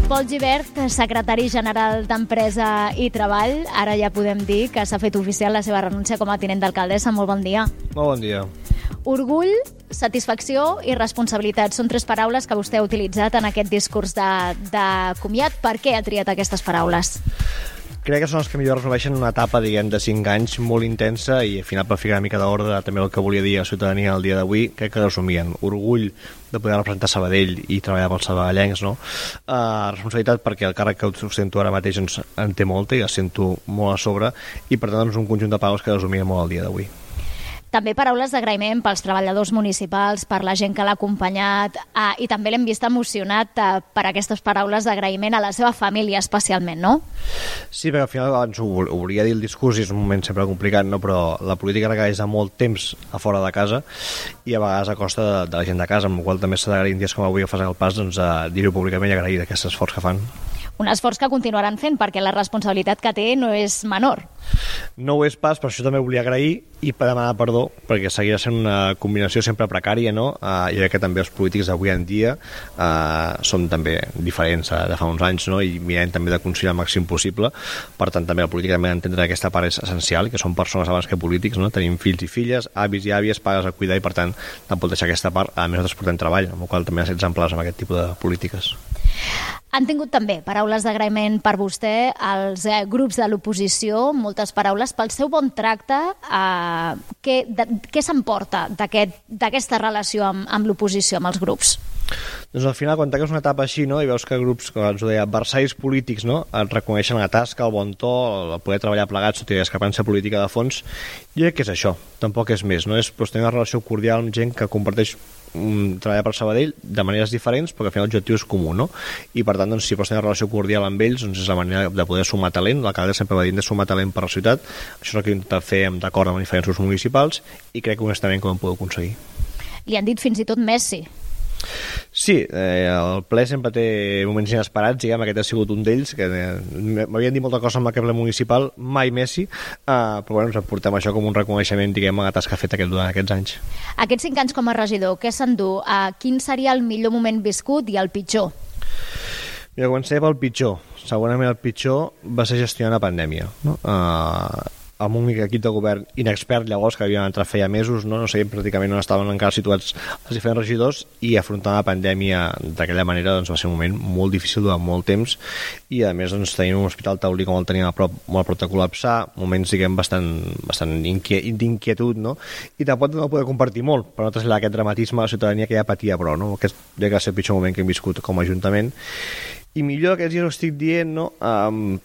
Pol Gibert, secretari general d'Empresa i Treball. Ara ja podem dir que s'ha fet oficial la seva renúncia com a tinent d'alcaldessa. Molt bon dia. Molt bon dia. Orgull, satisfacció i responsabilitat. Són tres paraules que vostè ha utilitzat en aquest discurs de comiat. Per què ha triat aquestes paraules? Crec que són els que millor resumeixen una etapa, diguem, de 5 anys molt intensa i al final per ficar una mica d'ordre també el que volia dir a la ciutadania el dia d'avui, crec que resumien orgull de poder representar Sabadell i treballar pels sabadellencs, no? Responsabilitat perquè el càrrec que ostento ara mateix en té molta i la sento molt a sobre i per tant doncs, un conjunt de paraules que resumien molt el dia d'avui. També paraules d'agraïment pels treballadors municipals, per la gent que l'ha acompanyat i també l'hem vist emocionat per aquestes paraules d'agraïment a la seva família especialment, no? Sí, perquè al final abans ho volia dir el discurs i és un moment sempre complicat, no? Però la política requereix de molt temps a fora de casa i a vegades a costa de la gent de casa, amb la qual també s'ha d'agrair en dies com avui que fas el pas, doncs, a dir-ho públicament i agrair aquest esforç que fan. Un esforç que continuaran fent perquè la responsabilitat que té no és menor. No ho és pas, per això també volia agrair i per demanar perdó, perquè seguirà sent una combinació sempre precària, no? I crec que també els polítics d'avui en dia som també diferents de fa uns anys, no? I mirem també de conciliar el màxim possible. Per tant, també la política també d'entendre que aquesta part és essencial, que són persones abans que polítics, no? Tenim fills i filles, avis i àvies, pares a cuidar i per tant no pot deixar aquesta part. A més, nosaltres portem treball, amb la qual també ha ser exemplars amb aquest tipus de polítiques. Han tingut també paraules d'agraïment per vostè als grups de l'oposició, moltes paraules pel seu bon tracte. Què s'emporta d'aquesta relació amb l'oposició, amb els grups? Doncs al final, quan tanques una etapa així, no, i veus que grups, com ens ho deia, adversaris polítics, no, et reconeixen la tasca, el bon to, el poder treballar plegats tot i la discrepància política de fons, jo crec que és això, tampoc és més, no? És tenir una relació cordial amb gent que comparteix treballar per Sabadell de maneres diferents, perquè al final l'objectiu és comú, no? I per tant, doncs, si pots tenir una relació cordial amb ells, doncs és la manera de poder sumar talent. L'alcalde sempre va dir de sumar talent per la ciutat. Això és el que intentat fer d'acord amb diferents grups municipals i crec que honestament que ho hem pogut aconseguir. Li han dit fins i tot Messi. Sí, el ple sempre té moments inesperats, diguem, aquest ha sigut un d'ells, que m'havien dit molta cosa amb el ple municipal, mai Messi, però bueno, ens portem això com un reconeixement, diguem, a la tasca feta durant aquests anys. Aquests 5 anys com a regidor, què s'endú? Quin seria el millor moment viscut i el pitjor? Mira, comencem pel pitjor. Segurament el pitjor va ser gestionar la pandèmia, no? Amb un equip de govern inexpert llavors, que havien entrat feia mesos, no sabíem pràcticament on estaven encara situats els diferents regidors, i afrontar la pandèmia d'aquella manera doncs, va ser un moment molt difícil durant molt temps, i a més doncs, tenim un hospital taulí com el teníem a prop, molt a prop de col·lapsar, moments diguem bastant d'inquietud, no? I tampoc no poder compartir molt, per no traslladar aquest dramatisme a la ciutadania que ja patia prou, no? Aquest ja que va ser el pitjor moment que hem viscut com a Ajuntament. I millor aquests dies ho estic dient, no?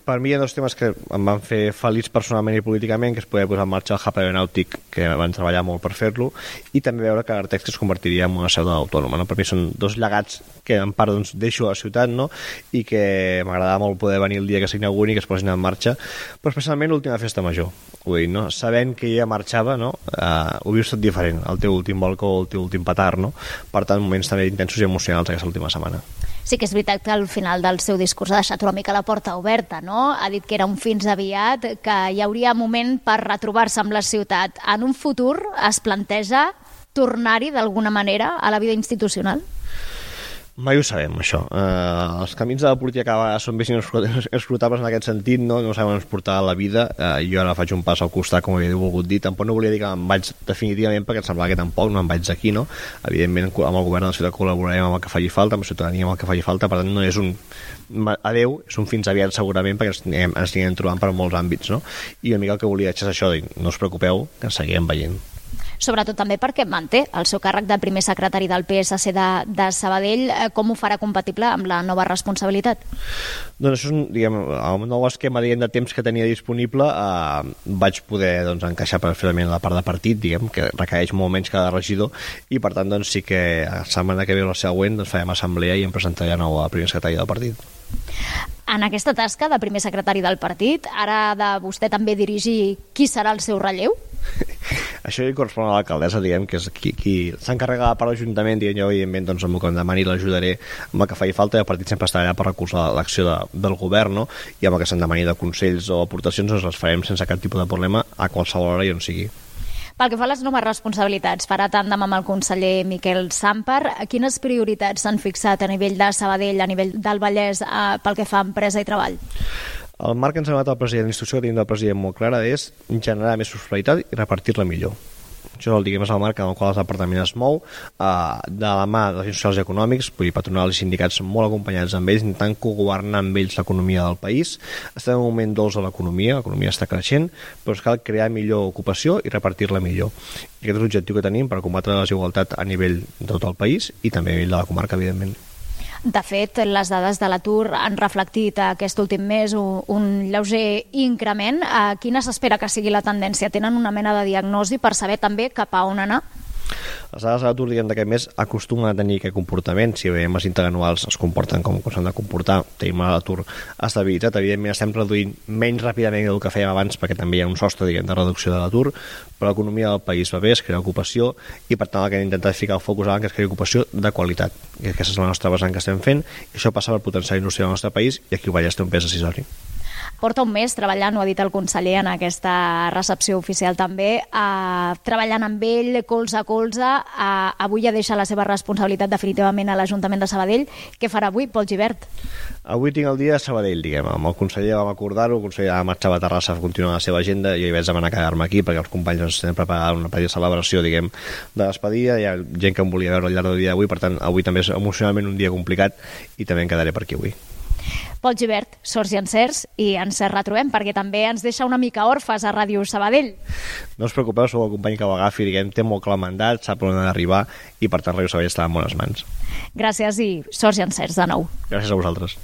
Per mi hi ha dos temes que em van fer feliç personalment i políticament, que es podia posar en marxa el hub aeronàutic, que van treballar molt per fer-lo, i també veure que Artex es convertiria en una seu autònoma, no? Per mi són dos llegats que en part doncs, deixo a la ciutat, no? I que m'agradava molt poder venir el dia que s'inauguri i que es posin en marxa, però especialment l'última festa major. Vull dir, no? Sabent que ja marxava, no? Ho vius tot diferent, el teu últim balcó, el teu últim petard, no? Per tant, moments també intensos i emocionals aquesta última setmana. Sí que és veritat que al final del seu discurs ha deixat una mica la porta oberta, no? Ha dit que era un fins aviat, que hi hauria moment per retrobar-se amb la ciutat. En un futur es planteja tornar-hi d'alguna manera a la vida institucional? Mai ho sabem, això. Els camins de la política a vegades són més inescrutables en aquest sentit, no sabem on ens portarà la vida. Jo ara faig un pas al costat, com havia volgut dir. Tampoc no volia dir que me'n vaig definitivament, perquè em semblava que tampoc no me'n vaig d'aquí, no? Evidentment, amb el govern de la ciutat col·laborarem amb el que faci falta, amb la ciutadania amb el que faci falta, per tant no és un adeu, és un fins aviat segurament, perquè ens anirem trobant per molts àmbits, no? I una mica el que volia dir és això, no us preocupeu, que ens seguirem veient. Sobretot també perquè manté el seu càrrec de primer secretari del PSC de Sabadell. Com ho farà compatible amb la nova responsabilitat? Doncs això és diguem, el nou esquema de temps que tenia disponible, vaig poder doncs, encaixar perfectament la part de partit, diguem, que requereix molt menys cada regidor, i per tant doncs, sí que la setmana que ve la següent doncs, farem assemblea i em presentaré de nou a primer secretari del partit. En aquesta tasca de primer secretari del partit, ara de vostè també dirigir qui serà el seu relleu? Això hi correspon a l'alcaldessa, diguem, que és qui s'encarrega per l'Ajuntament, diguem, jo evidentment doncs, amb el que em demani l'ajudaré amb el que faci falta, i el partit sempre estarà allà per recolzar l'acció del govern, no? I amb el que se'n demani de consells o aportacions doncs les farem sense cap tipus de problema a qualsevol hora i on sigui. Pel que fa a les noves responsabilitats, farà tàndem amb el conseller Miquel Sàmper. Quines prioritats s'han fixat a nivell de Sabadell, a nivell del Vallès, pel que fa a empresa i treball? El marc que ens ha donat el president, l'instrucció que tenim del president molt clara és generar més prosperitat i repartir-la millor. Això és el marc en el qual el departament es mou, de la mà dels agents socials i econòmics, vull dir, patronals i sindicats molt acompanyats amb ells, intentant cogovernar amb ells l'economia del país. Estem en un moment dolç a l'economia està creixent, però cal crear millor ocupació i repartir-la millor. I aquest és l'objectiu que tenim per combatre la desigualtat a nivell de tot el país i també a nivell de la comarca, evidentment. De fet, les dades de l'atur han reflectit aquest últim mes un lleuger increment. Quina s'espera que sigui la tendència? Tenen una mena de diagnosi per saber també cap a on anar? Les dades de l'atur d'aquest mes acostumen a tenir aquest comportament. Si veiem els interanuals es comporten com s'han de comportar, tenim l'atur estabilitzat. Evidentment estem reduint menys ràpidament del que fèiem abans perquè també hi ha un sostre de reducció de l'atur, però l'economia del país va bé, es crea ocupació i per tant el que hem intentat ficar el focus abans que es crea ocupació de qualitat. I aquesta és la nostra vessant que estem fent i això passa per potenciar la indústria del nostre país i aquí el Vallès té un pes decisori. Porta un mes treballant, ho ha dit el conseller en aquesta recepció oficial també, treballant amb ell, colze a colze. Avui ja deixa la seva responsabilitat definitivament a l'Ajuntament de Sabadell. Què farà avui, Pol Gibert? Avui tinc el dia de Sabadell, diguem. Amb el conseller vam acordar-ho, el conseller marxava a Terrassa a continuar la seva agenda i jo hi vaig demanar quedar-me aquí perquè els companys ens tenen preparada una petita celebració, diguem, de despedida. Hi ha gent que em volia veure al llarg del dia d'avui, per tant, avui també és emocionalment un dia complicat i també em quedaré per aquí avui. Pol Gibert, sorts i encerts, i ens retrobem perquè també ens deixa una mica orfes a Ràdio Sabadell. No us preocupeu, sou el company que ho agafi, diguem, té molt clar el mandat, sap on ha d'arribar i per tant Ràdio Sabadell està en bones mans. Gràcies i sorts i encerts de nou. Gràcies a vosaltres.